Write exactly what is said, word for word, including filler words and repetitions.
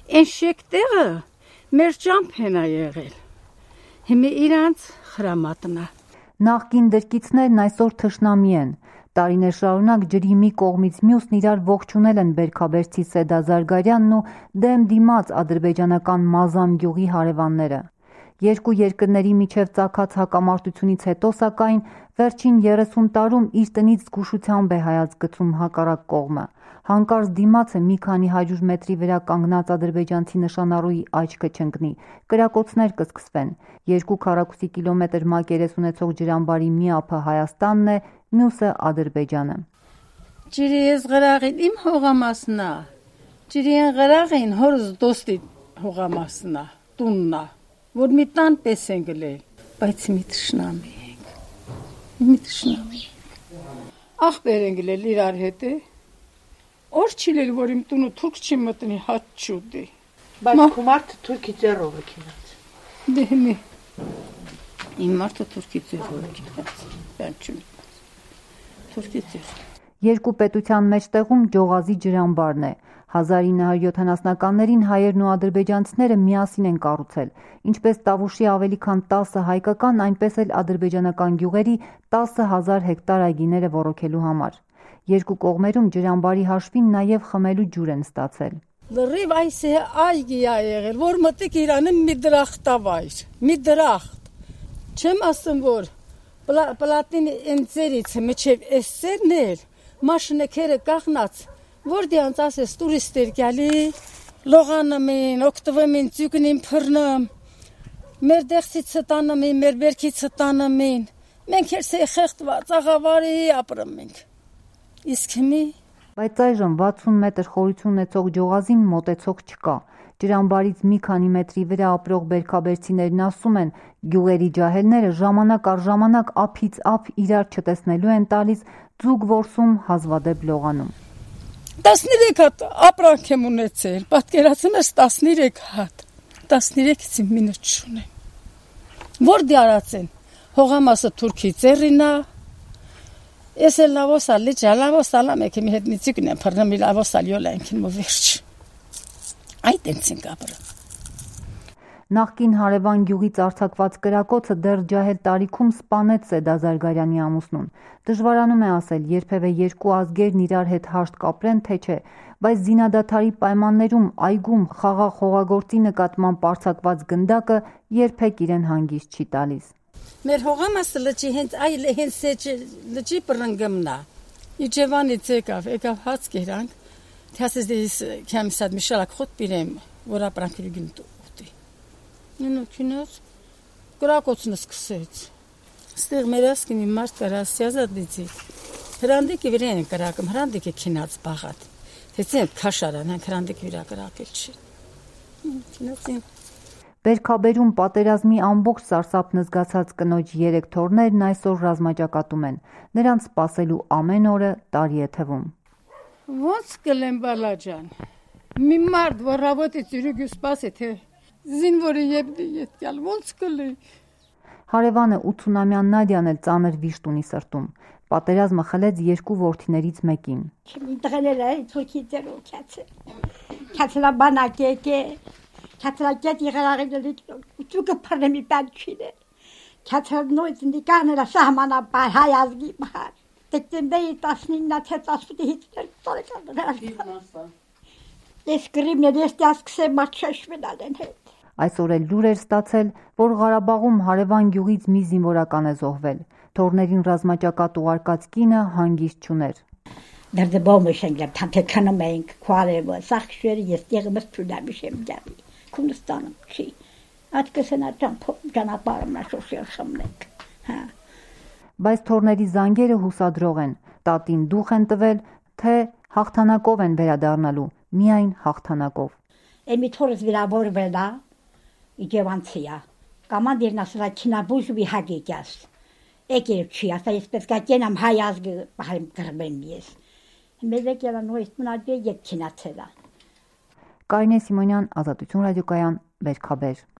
Այն շեկտեղը մեր ճամփեն է եղել։ Հիմա իրանց խրամատնա։ Նախկին դրկիցներն այսօր թշնամի են։ Տարիներ շարունակ ջրի մի կողմից մյուսն իրար ողջունել են Բերքաբերցի Սեդա Զարգարյանն ու դեմ դիմաց ադրբեջանական Մազամ գյուղի հարևանները։ Երկու երկրների միջև ծագած հակամարտությունից հետո, սակայն, վերջին երեսուն տարում իր տնից զգուշությամբ է հայաց գցում հակառակ կողմը։ Հանկարծ դիմացը մի քանի հարյուր մետրի վրա կանգնած ադրբեջանցի նշանառուի աչքը չընկնի, կրակոցներ կսկսվեն։ Երկու քառակուսի կիլոմետր մակերես ունեցող ջրամբարի մի ափը Հայաստանն է, մյուսը Ադրբեջանը։ Ջրի ես գրաղին իմ հողամասն է։ Ջրի են գրաղին հորս դոստի հողամասն է, տունն է, որ մի տան պես են գլել, բայց մի թշնամի ենք։ Մի թշնամի ենք։ Ախպեր են գլել իրար հետ է։ Օր չիլել, որ իմ տունը թուրք չի մտնի հաց չուտի։ Բայց քո մարդը թուրքի ձեռով է քինած։ Դե մի։ Իմ մարդը թուրքի ձեռով է քինած։ Բան չունի։ Թուրքի ձեռ։ Երկու պետության մեջտեղում Ջողազի ջրամբարն է։ հազար ինը հարյուր յոթանասունականներին հայերն ու ադրբեջանցիները միասին են կառուցել, ինչպես Տավուշի ավելի քան տասը հայկական, այնպես էլ ադրբեջանական գյուղերի տասը հազար հեկտար այգիները ոռոգելու համար։ Երկու կողմերում ջրամբարի հաշվին նաև խմելու ջուր են ստացել։ Լրիվ այս է այգի է եղել, որ մտիկ Իրանը մի դրախտավայր, մի դրախտ։ Չեմ ասում, որ պլատին ընձերից մինչև էս սերն էր, մաշնեքերը կախնած, որ դրանց ասես տուրիստեր գալի, լողանում են, օգտվում են ձյուկնին փռնում, մեր դեղցիցը տանում են, մեր բերքիցը տանում են, մենք էլ սե խեղդված աղավարի ապրում ենք։ Իսկ հիմի Բայց այժմ վաթսուն մետր խորություն ունեցող Ջողազին մոտեցող չկա։ Ջրամբարից մի քանի մետրի վրա ապրող բերքաբերցիներն ասում են, գյուղերի ջահելները ժամանակ առ ժամանակ ափից ափ իրար չտեսնելու են տալիս, ձուկ որսում, հազվադեպ լողանում։ տասներեք հատ ապրանք եմ ունեցել, պատկերացնում ես տասներեք հատ, տասներեքից իմ մինը չունեմ։ Որ դարած են, հողամասը թուրքի ձեռին է, ես էլ լավոսալի ջալավոսալա մեկ մի հետ միցիկն եմ փռնում, լավոսալի ոլանքին մո վերջ։ Այդ են ցինք ապրում։ Նախկին հարևան գյուղից արձակված կրակոցը դեռ ջահել տարիքում սպանեց Սեդա Զարգարյանի ամուսնուն։ Դժվարանում է ասել, երբևէ երկու ազգերն իրար հետ հաշտ կապրեն, թե չէ, բայց զինադադարի պայմաններում այգում խաղաղ հողագործի նկատմամբ արձակված գնդակը երբեք իրեն հանգիստ չի տալիս։ Մեր հողամասը լճի հենց այլ հենց լճի բռնգմն է։ Իջևանից եկավ, եկավ հաց կերանք, թասես դես քամսად միշալակ խոտ բիրեմ, որ ապրանքի գնտու։ Նո քինոց կրակոցն սկսեց։ Ստեղ մեր ասկինի մարդ կարա սիազադիցի։ Հրանդիկի վրան կրակում, հրանդիկը քինած բաղատ։ Դեցեն քաշարան, հրանդիկ վրա կրակել չի։ Քինոցին Բերքաբերում պատերազմի ամբողջ սարսափն զգացած կնոջ երեք թոռներն այսօր ռազմաճակատում են։ Նրանց սպասելու ամեն օրը տարի է թվում։ Ոնց կլեմ բալաջան։ Մի մարդ որ работе ծյուրուգու սպասի թե զինվորը եպդի ետկալ ոնց կլի։ Հարևանը ութսունամյան Նադյան էլ ծանր վիշտ ունի սրտում։ Պատերազմը խլեց երկու որդիներից մեկին։ Դղել է թուրքի ձեռով քացը։ Քացլա բանակեկե Քացրակետ եղարաղի ուտուկը փռնի պանչինը։ Քացրնոյց նիկանելա սահմանապահ հայ ազգի բար։ Դեկտեմբերի տասնինը թե տասնութից տարեկան։ Ես գրիմներ ես դասկսե մաչաշվենալ են հետ։ Այսօր էլ լուր էր ստացել, որ Ղարաբաղում հարևան գյուղից մի զինվորական է զոհվել։ Թորներին ռազմաճակատ ուղարկած կինը հանգիստ չուներ։ Դեռ բոմը շենգլებ թանթեքանում ենք քարևը սախշերը ես տեղը մստուդամ շեմ դավի։ Քունստանում չի։ Ատկսենա ճանապարհը մաշոշել խմնեք։ Հա։ Բայց թորների զանգերը հուսադրող են։ Տատին դուխ են տվել, թե հաղթանակով են վերադառնալու, միայն հաղթանակով։ Էմի թորս վիրավորվել է, իջևանցիա։ Կամանդիրն ասել է քինաբուժվի հագիկյաս։ Եկել չի, ասա ես պետք է կենամ հայ ազգը հայ գրբեմ ես։ Մեզ եկել է նույն մնաճի ետ քինացել է։ Կարինե Սիմոնյան, Ազատություն ռադիոկայան, Բերքաբեր։